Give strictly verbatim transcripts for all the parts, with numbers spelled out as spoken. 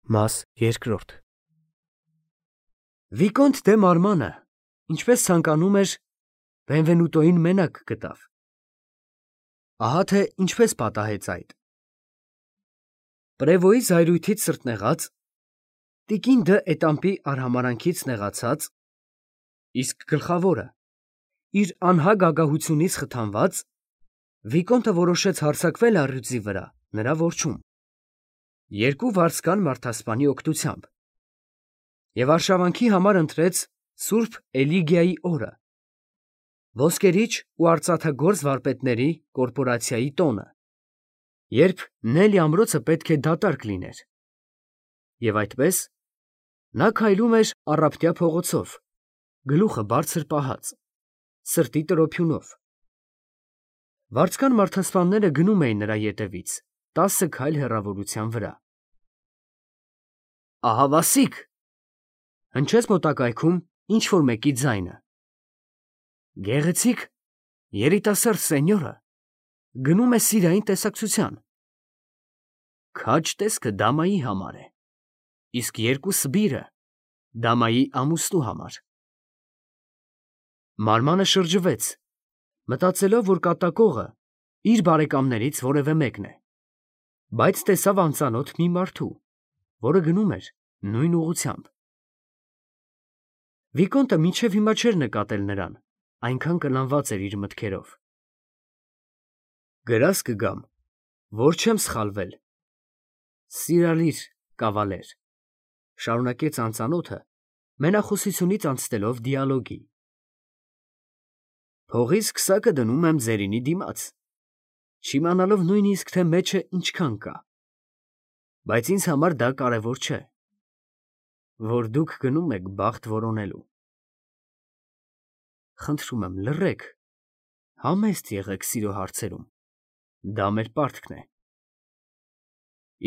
Մաս երկրորդ Վիկոնտ դե Մարմանը, ինչպես ցանկանում էր, Բենվենուտոին մենակ գտավ։ Ահա թե ինչպես պատահեց այդ։ Պրևոյի զայրույթից սրտնեղած, տիկին դը էտամպի արհամարանքից նեղացած, իսկ գլխավորը, իր անհագ ագահությունից խթանված, Վիկոնտը որոշեց հարձակվել առյուծի վրա նրա որջում, երկու վարձկան մարդասպանի օգնությամբ, և արշավանքի համար ընտրեց Սուրբ Էլիգիայի օրը, ոսկերիչ ու արծաթագործ վարպետների կորպորացիայի տոնը, երբ Նելի ամրոցը պետք է դատարկ լիներ, և այդպես նա քայլում էր առափտյա փողոցով, գլուխը բարձր պահած, սրտի տրոփյունով։ Վարձկան մարդասպանները գնում էին նրա ետևից տասը քայլ հեռավորության վրա։ Ահավասիկ, հնչեց մոտակայքում ինչ-որ մեկի ձայնը։ Գեղեցիկ երիտասարդ սենյորը գնում է սիրային տեսակցության։ Քաջ տեսքը դամայի համար է, իսկ երկու սբիրը դամայի ամուսնու համար։ Մարմանը շրջվեց, մտածելով, որ կատակողը իր բարեկամներից որևէ մեկն է, բայց տեսավ անծանոթ մի մարդու, որը գնում էր նույն ուղղությամբ։ Վիկոնտը մինչև հիմա չէր նկատել նրան, այնքան կլանված էր իր մտքերով։ Գրազ կգամ, որ չեմ սխալվել։ Սիրալիր կավալեր, շարունակեց անծանոթը, մենախոսությունից անցնելով դիալոգի։ Փողիս քսակը դնում եմ ձերինի դիմաց, չիմանալով նույնիսկ, թե մեջը ինչքան կա, բայց ինձ համար դա կարևոր չէ, որ դուք գնում եք բախտ որոնելու։ Խնդրում եմ, լռեք, համեստ եղեք սիրո հարցերում, դա մեր պարտքն է։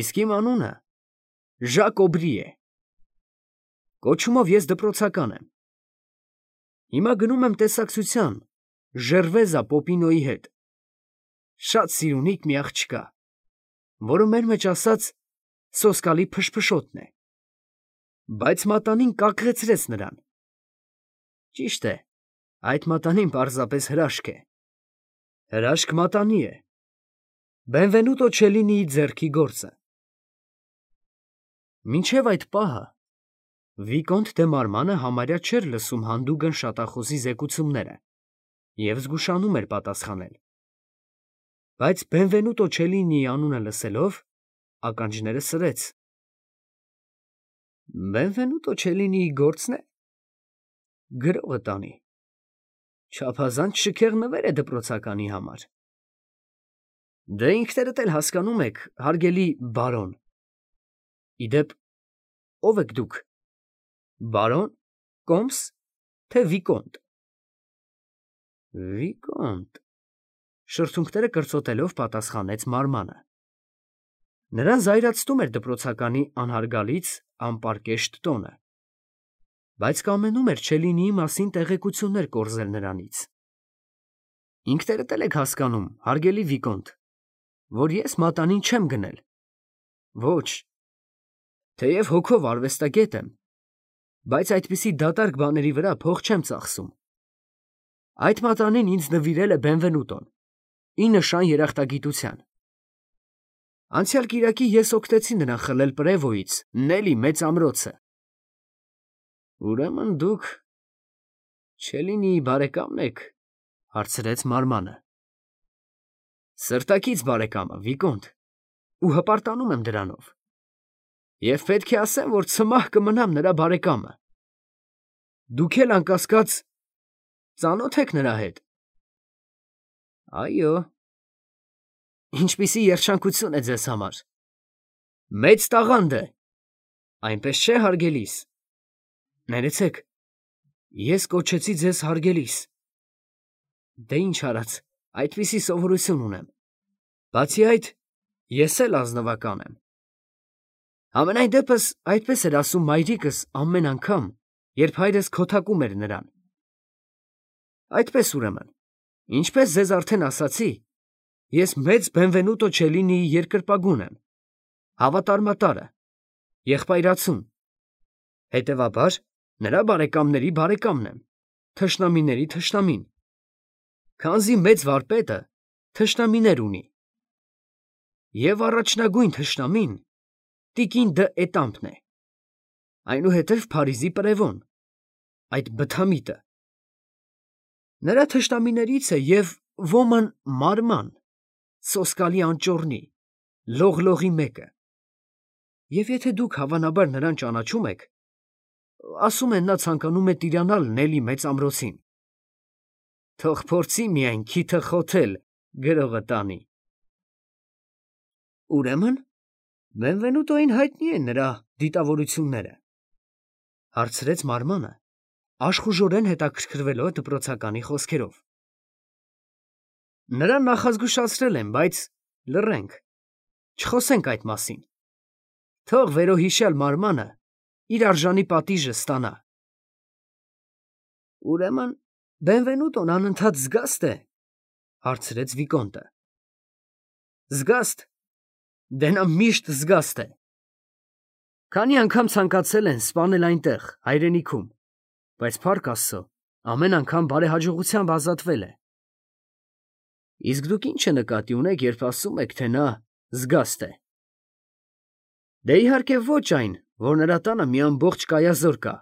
Իսկ իմ անունը Ժակ Օբրի է, կոչումով ես դպրոցական եմ, հիմա գնում եմ տեսակցության Ժերվեզա Պոպինոյի հետ, շատ սիրունիկ մի աղջկա, որը մեր մեջ ասած սոսկալի փշփշոտն է, բայց մատանին կակղեցրեց նրան։ Ճիշտ է, այդ մատանին պարզապես հրաշք է, հրաշք մատանի է, Բենվենուտո Չելինիի ձեռքի գործը։ Մինչև այդ պահը Վիկոնտ դե Մարմանը համարյա չէր լսում հանդուգն շատախոսի զեկուցումները և զգուշանում էր պատասխանել, բայց Բենվենուտո Չելինիի անունը լսելով ականջները սրեց։ Բենվենուտո Չելինիի գործն է գրողը տանի, չափազանց շքեղ նվեր է դպրոցականի համար։ Դե ինքներդ էլ հասկանում եք, հարգելի բարոն։ Իդեպ, ո՞վ եք դուք, բարոն, կոմս, թե վիկոնտ։ Վիկոնտ, շրթունքները կրծոտելով պատասխանեց Մարմանը։ Նրան զայրացնում էր դպրոցականի անհարգալից, անպարկեշտ տոնը, բայց կամենում էր Չելինիի մասին տեղեկություններ կորզել նրանից։ Ինքներդ էլ եք հասկանում, հարգելի վիկոնտ, որ ես մատանին չեմ գնել։ Ոչ, թեև հոգով արվեստագետ եմ, բայց այդպիսի դատարկ բաների վրա փող չեմ ծախսում։ Այդ մատանին ինձ նվիրել է Բենվենուտոն, ի նշան երախտագիտության։ Անցյալ կիրակի ես օգնեցի նրան խլել Պրևոյից Նելի մեծ ամրոցը։ Ուրեմն դուք Չելինիի բարեկամն եք, հարցրեց Մարմանը։ Սրտակից բարեկամը, վիկոնտ, ու հպարտանում եմ դրանով։ Եվ պետք է ասեմ, որ ցմահ կմնամ նրա բարեկամը։ Դուք էլ անկասկած ծանոթ եք նրա հետ։ Այո։ Ինչպիսի երջանկություն է ձեզ համար։ Մեծ տաղանդ է, այնպես չէ, հարգելիս։ Ներեցեք, ես կոչեցի ձեզ հարգելիս։ Դե ինչ արած, այդպիսի սովորություն ունեմ։ Բացի այդ, ես էլ ազնվական եմ։ Համենայն դեպս այդպես էր ասում մայրիկս ամեն անգամ, երբ հայրս քոթակում էր նրան։ Այդպես ուրեմն, ինչպես ձեզ արդեն ասացի, ես մեծ Բենվենուտո Չելինիի երկրպագուն եմ, հավատարմատարը, եղբայրացուն, հետևաբար նրա բարեկամների բարեկամն եմ, թշնամիների թշնամին, քանզի մեծ վարպետը թշնամիներ ունի, և առաջնագույն թշնամին տիկին Դը Էտամպն է, այնուհետև Փարիզի պրևոն, այդ բթամիտը, նրա թշնամիներից է և ոմն մարման, սոսկալի անճոռնի, լողլողի մեկը, և եթե դուք հավանաբար նրան ճանաչում եք, ասում են նա ցանկանում է տիրանալ Նելի մեծ ամրոցին, թող փորձի միայն քիթը խոթել գրողը տանի։ Ուրեմն Բենվենուտոին հայտնի են նրա դիտավորությունները, հարցրեց մարմանը, աշխուժորեն հետաքրքրվելով դպրոցականի խոսքերով։ Նրան նախազգուշացրել եմ, բայց լռենք, չխոսենք այդ մասին, թող վերոհիշյալ մարմանը իր արժանի պատիժը ստանա։ Ուրեմն Բենվենուտոն անընդհատ զգաստ է, հարցրեց Վիկոնտը։ Զգաստ, դե նա միշտ զգաստ է։ Քանի անգամ ցանկացել են սպանել այնտեղ, հայրենիքում, բայց փառք Աստծո, ամեն անգամ բարեհաջողությամբ ազատվել է։ Իսկ դուք ի՞նչ նկատի ունեք, երբ ասում եք, թե նա զգաստ է։ Դե իհարկե ոչ այն, որ նրա տանը մի ամբողջ կայազոր կա,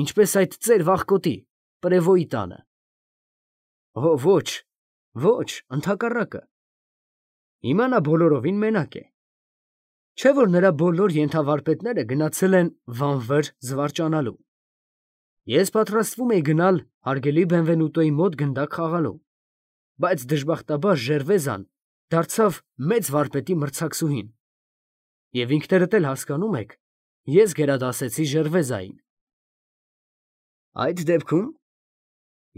ինչպես այդ ծեր վախկոտի, պրևոյի տանը։ Օ, ոչ, ոչ, ընդհակառակը։ Հիմա նա բոլորովին մենակ է։ Չէ՞ որ նրա բոլոր ենթավարպետները գնացել են Վանվեր զվարճանալու։ Ես պատրաստվում էի գնալ հարգելի Բենվենուտոյի մոտ գնդակ խաղալու, բայց դժբախտաբար Ժերվեզան դարձավ մեծ վարպետի մրցակցուհին, և ինքներդ էլ հասկանում եք, ես գերադասեցի Ժերվեզային։ Այդ դեպքում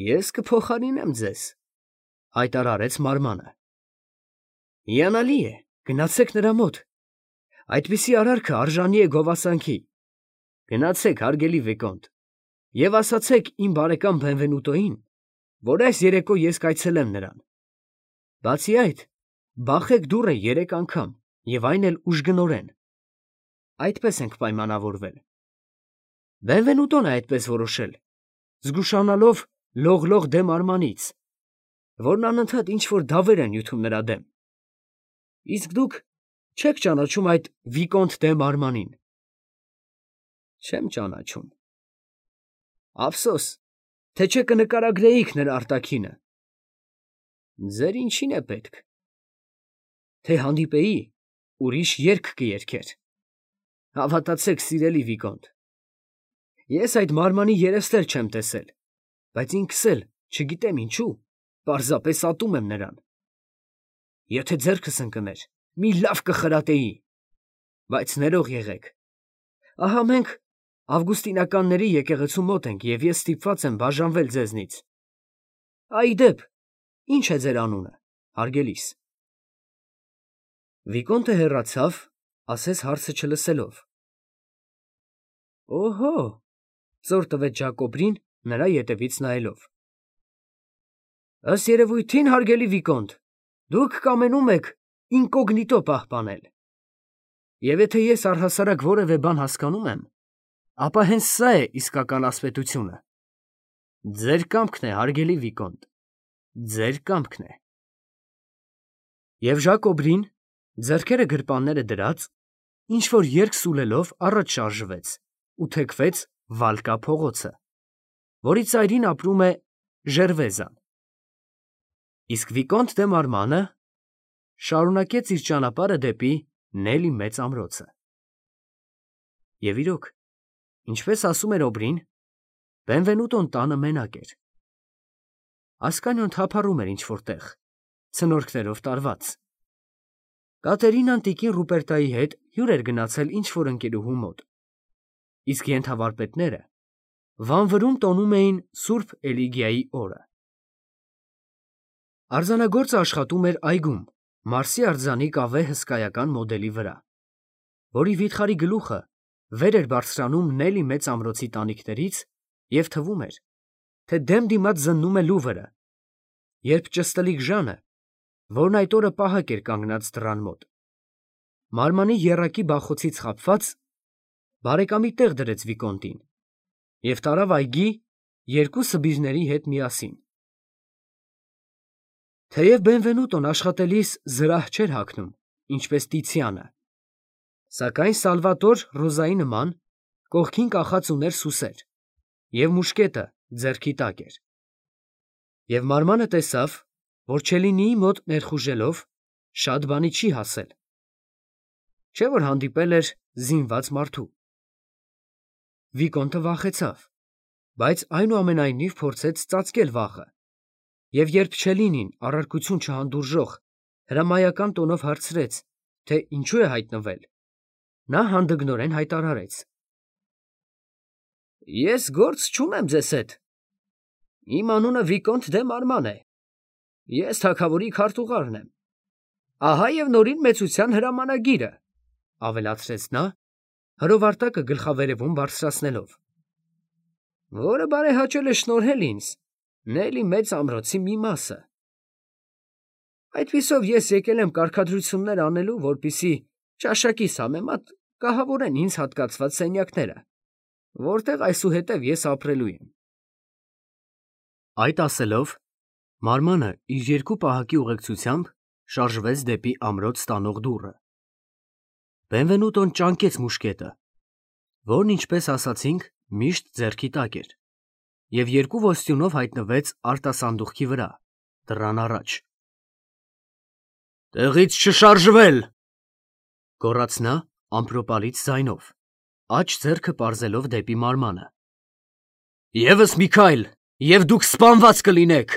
ես կփոխարինեմ ձեզ, հայտարարեց մարմանը։ Հիանալի է, գնացեք նրա մոտ, այդպիսի արարքը արժանի է գովասանքի։ Գնացեք, հարգելի Վիկոնտ, և ասացեք իմ բարեկամ Բենվենուտոյին, որ այս երեկո ես կայցելեմ նրան։ Բացի այդ, բախեք դուռը երեք անգամ, և այն էլ ուժգնորեն։ Այդպես ենք պայմանավորվել։ Բենվենուտոն է այդպես որոշել, զգուշանալով լողլող դեմ Արմանից, որն անընդհատ ինչ֊որ դավեր է նյութում նրա դեմ։ Իսկ դուք չեք ճանաչում այդ Վիկոնտ դե Մարմանին։ Չեմ ճանաչում։ Ափսոս, թե չէ կնկարագրեիք նրա արտաքինը։ Ձեր ինչին է պետք։ Թե հանդիպեի, ուրիշ երգ կերգեր։ Հավատացեք, սիրելի Վիկոնտ, ես այդ մարմանի երեստ էլ չեմ տեսել, բայց ինքս էլ, չգիտեմ ինչու, պարզապես ատում եմ նրան։ Եթե ձեռքս ընկներ, մի լավ կխրատեի, բայց ներող եղեք։ Ահա մենք ավգուստինականների եկեղեցու մոտ ենք, և ես ստիպված եմ բաժանվել ձեզնից։ Ի դեպ, ի՞նչ է ձեր անունը, հարգելիս։ Վիկոնտը հեռացավ, ասես հարցը չլսելով։ Օհո, ծոր տվեց Ժակոբրին, նրա ետևից նայելով։ Ըստ երևույթին, հարգելի Վիկոնտ, դուք կամենում եք ինկոգնիտո պահպանել։ Եվ եթե ես առհասարակ որևէ բան հասկանում եմ, ապա հենց սա է իսկական ասպետությունը։ Ձեր կամքն է, հարգելի Վիկոնտ, ձեր կամքն է։ Եվ Ժակոբրին, ձեռքերը գրպանները դրած, ինչ֊որ երգ սուլելով առաջ շարժվեց ու թեքվեց Վալկա փողոցը, որի ծայրին ապրում է Ժերվեզան։ Իսկ Վիկոնտ դե Մարմանը շարունակեց իր ճանապարհը դեպի Նելի մեծ ամրոցը։ Եվ իրոք, ինչպես ասում էր Օբրին, Բենվենուտոն տանը մենակ էր։ Ասկանիոն թափառում էր ինչ֊որ տեղ, ցնորքներով տարված։ Կատերինան տիկին Ռուպերտայի հետ հյուր էր գնացել ինչ֊որ ընկերուհու մոտ, իսկ ենթավարպետները Վանվրում տոնում էին Սուրբ Էլիգիայի օրը։ Արձանագործը աշխատում էր այգում, Մարսի արձանի կավե հսկայական մոդելի վրա, որի վիթխարի գլուխը վեր էր բարձրանում Նելի մեծ ամրոցի տանիքներից և թվում էր, թե դեմ դիմաց զննում է Լուվրը, երբ ճստլիկ Ժանը, որն այդ օրը պահակ էր կանգնած դռան մոտ, մարմանի եռակի բախոցից խաբված, բարեկամի տեղ դրեց Վիկոնտին և տարավ այգի երկու սբիրների հետ միասին։ Թեև Բենվենուտոն աշխատելիս զրահ չէր հագնում, ինչպես Տիցիանը, սակայն Սալվատոր Ռոզայի նման կողքին կախած ուներ սուսեր, և մուշկետը ձեռքի տակ էր։ Եվ մարմանը տեսավ, որ Չելինիի մոտ ներխուժելով շատ բանի չի հասել, չէ՞ որ հանդիպել էր զինված մարդու։ Վիկոնտը վախեցավ, բայց այնուամենայնիվ փորձեց ծածկել վախը, և երբ Չելինին առարկություն չհանդուրժող հրամայական տոնով հարցրեց, թե ինչու է հայտնվել, նա հանդգնորեն հայտարարեց. «Ես գործ չունեմ ձեզ հետ. իմ անունը Վիկոնտ դե Մարման է, ես թագավորի քարտուղարն եմ, ահա և նորին մեծության հրամանագիրը», ֊ ավելացրեց նա, հրովարտակը գլխավերևում բարձրացնելով, «որը բարեհաճել է շնորհել ինձ Նելի մեծ ամրոցի մի մասը։ Այդպիսով ես եկել եմ կարգադրություններ անելու, որպեսզի ճաշակիս համեմատ կահավորեն ինձ հատկացված սենյակները, որտեղ այսուհետև ես ապրելու եմ»։ Այդ ասելով, Մարմանը իր երկու պահակի ուղեկցությամբ շարժվեց դեպի ամրոց տանող դուռը։ Բենվենուտոն ճանկեց մուշկետը, որն, ինչպես ասացինք, միշտ ձեռքի տակ էր, և երկու ոստյունով հայտնվեց արտասանդուղքի վրա, դռան առաջ։ «Տեղից չշարժվել», ֊ գոռաց նա ամպրոպալից ձայնով, աջ ձեռքը պարզելով դեպի Մարմանը։ «Եվս մի քայլ, և դուք սպանված կլինեք»։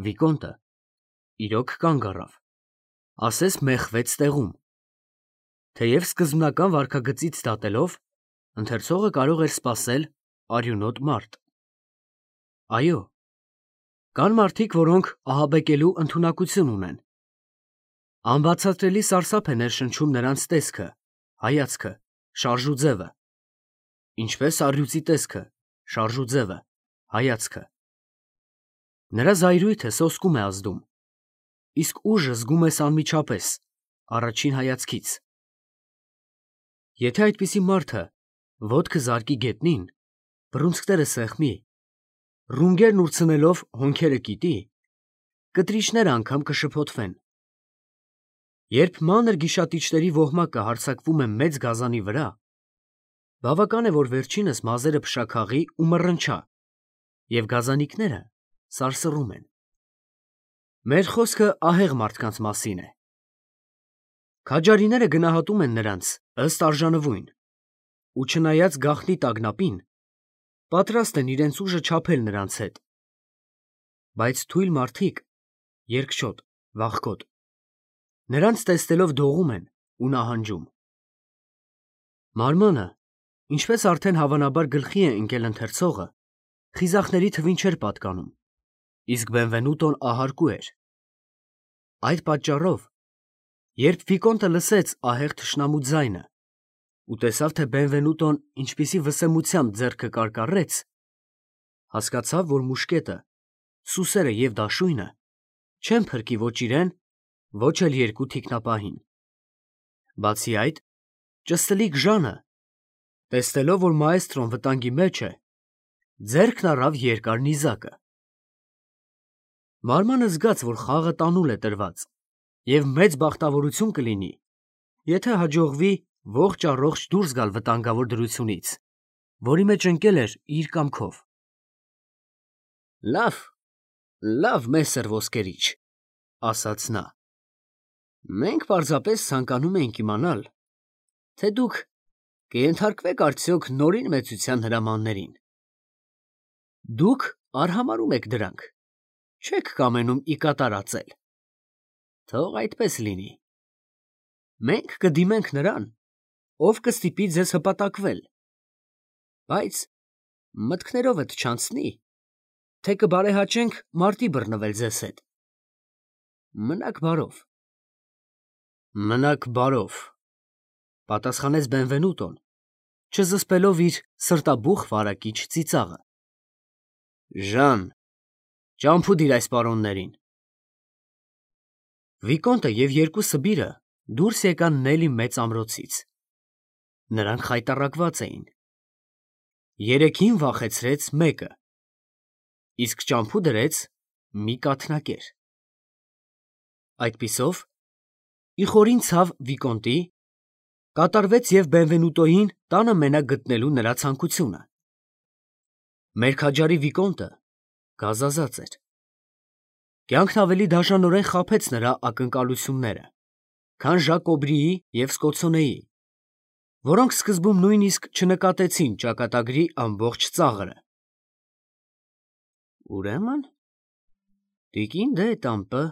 Վիկոնտը իրոք կանգ առավ, ասես մեխվեց տեղում։ Թեև սկզբնական վարքագծից դատելով, ընթերցողը կարող էր սպասել արյունոտ մարդ։ Այո, կան մարդիկ, որոնք ահաբեկելու ընդունակություն ունեն։ Անբացատրելի սարսափ է ներշնչում նրանց տեսքը, հայացքը, շարժուձևը, ինչպես առյուծի տեսքը, շարժուձևը, հայացքը։ Նրա զայրույթը սոսկում է ազդում, իսկ ուժը զգում ես անմիջապես, առաջին հայացքից։ Եթե այդպիսի մարդը ոտքը զարկի գետնին, բռունցքները սեղմի, ռունգերն ուրցնելով հոնքերը կիտի, կտրիչները անգամ կշփոթվեն։ Երբ մանր գիշատիչների ոհմակը հարձակվում է մեծ գազանի վրա, բավական է, որ վերջինս մազերը փշաքաղի ու մռնչա, և գազանիկները սարսռում են։ Մեր խոսքը ահեղ մարդկանց մասին է։ Քաջարիները գնահատում են նրանց ըստ արժանվույն ու, չնայած գաղտնի տագնապին, պատրաստ են իրենց ուժը չափել նրանց հետ։ Բայց թույլ մարդիկ, երկչոտ, վախկոտ, նրանց տեսնելով դողում են ու նահանջում։ Մարմանը, ինչպես արդեն հավանաբար գլխի է ընկել ընթերցողը, խիզախների թվին չէր պատկանում, իսկ Բենվենուտոն ահարկու էր։ Այդ պատճառով, երբ Վիկոնտը լսեց ահեղ թշնամու ձայնը ու տեսավ, թե Բենվենուտոն ինչպիսի վսեմությամբ ձեռքը կարկառեց, հասկացավ, որ մուշկետը, սուսերը և դաշույնը չեն փրկի ոչ իրեն, ոչ էլ երկու թիկնապահին։ Բացի այդ, ճստլիկ Ժանը, տեսնելով, որ մաեստրոն վտանգի մեջ է, ձեռքն առավ երկար նիզակը։ Մարմանը զգաց, որ խաղը տանուլ է տրված, և մեծ բախտավորություն կլինի, եթե հաջողվի ողջ առողջ դուրս գալ վտանգավոր դրությունից, որի մեջ ընկել էր իր կամքով։ «Լավ, լավ, մեսեր ոսկերիչ», ֊ ասաց նա, «մենք պարզապես ցանկանում էինք իմանալ, թե դուք կենթարկվե՞ք արդյոք նորին մեծության հրամաններին։ Դուք արհամարհում եք դրանք, չեք կամենում ի կատար ածել։ Թող այդպես լինի։ Մենք կդիմենք նրան, ով կստիպի ձեզ հպատակվել, բայց մտքներովդ չանցնի, թե կբարեհաճենք մարտի բռնվել ձեզ հետ։ Մնաք բարով»։ «Մնաք բարով», ֊ պատասխանեց Բենվենուտոն, չզսպելով իր սրտաբուխ վարակիչ ծիծաղը։ «Ժան, ճամփու դիր այս պարոններին»։ Վիկոնտը և երկու սբիրը դուրս եկան Նելի մեծ ամրոցից։ Նրանք խայտառակված էին։ Երեքին վախեցրեց մեկը, իսկ ճամփու դրեց մի կաթնակեր։ Այդպիսով, ի խորին ցավ Վիկոնտի, կատարվեց և Բենվենուտոյին տանը մենակ գտնելու նրա ցանկությունը։ Մերքաջարի Վիկոնտը գազազած էր։ Կյանքն ավելի դաժանորեն խաբեց նրա ակնկալությունները, քան Ժակ Օբրիի և Սկոթսոնեի, որոնք սկզբում նույնիսկ չնկատեցին ճակատագրի ամբողջ ծաղրը։ Ուրեմն, տիկին դե Էտամպը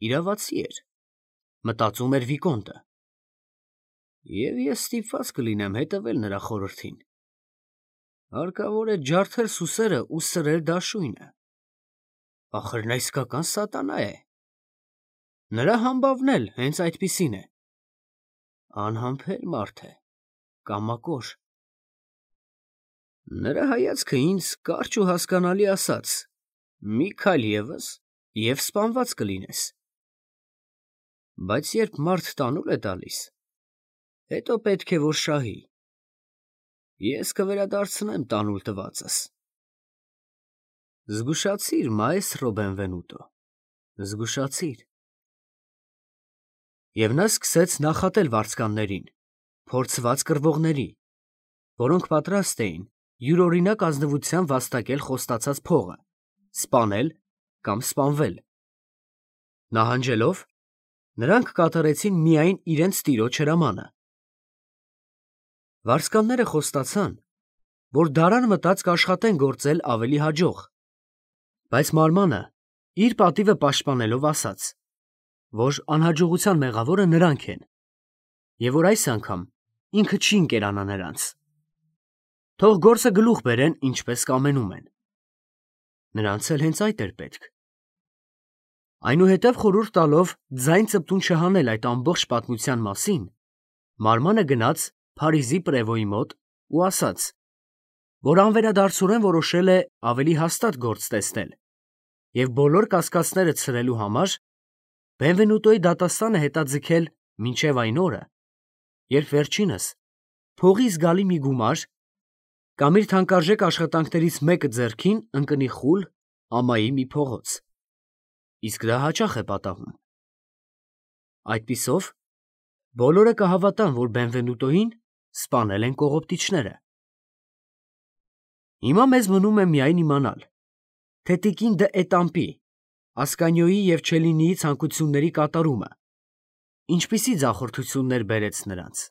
իրավացի էր, մտածում էր Վիկոնտը, և ես ստիպված կլինեմ հետևել նրա խորհրդին։ Հարկավոր է ջարդել սուսերը ու սրել դաշույնը։ Ախր նա իսկական սատանա է։ Նրա համբավն էլ հենց այդպիսին է։ Անհամբեր մարդ է, կամակոր։ Նրա հայացքը ինձ կարճ ու հասկանալի ասաց. մի քայլ ևս և սպանված կլինես։ Բայց երբ մարդ տանուլ է տալիս, հետո պետք է որ շահի։ Ես կվերադարձնեմ տանուլ տվածս։ Զգուշացիր, մաեստրո Բենվենուտո, զգուշացիր։ Եվ նա սկսեց նախատել վարձկաններին, փորձված կռվողների, որոնք պատրաստ էին յուրօրինակ ազնվությամբ վաստակել խոստացած փողը, սպանել կամ սպանվել։ Նահանջելով, նրանք կատարեցին միայն իրենց տիրոջ հրամանը։ Վարձկանները խոստացան, որ դարան մտած կաշխատեն գործել ավելի հաջող, բայց մարմանը իր պատիվը պաշտպանելով ասաց, որ անհաջողության մեղավորը նրանք են, և որ այս անգամ ինքը չի ընկերանա նրանց։ Թող գործը գլուխ բերեն, ինչպես կամենում են։ Նրանց էլ հենց այդ էր պետք։ Այնուհետև խորհուրդ տալով ձայն ծպտուն չհանել այդ ամբողջ պատմության մասին, մարմանը գնաց Փարիզի պրևոյի մոտ ու ասաց, որ անվերադարձորեն որոշել է ավելի հաստատ գործ տեսնել և բոլոր կասկածները ցրելու համար Բենվենուտոյի դատաստանը հետաձգել մինչև այն օրը, երբ վերջինս փողի զգալի մի գումար կամ իր թանկարժեք աշխատանքներից մեկը ձեռքին ընկնի խուլ ամայի մի փողոց, իսկ դա հաճախ է պատահում։ Այդպիսով, բոլորը կհավատան, որ Բենվենուտոյին սպանել են կողոպտիչները։ Հիմա մեզ մնում է միայն իմանալ, թե տիկին դը Էտամպի, Ասկանիոյի և Չելինիի ցանկությունների կատարումը ինչպիսի ձախորդություններ բերեց նրանց։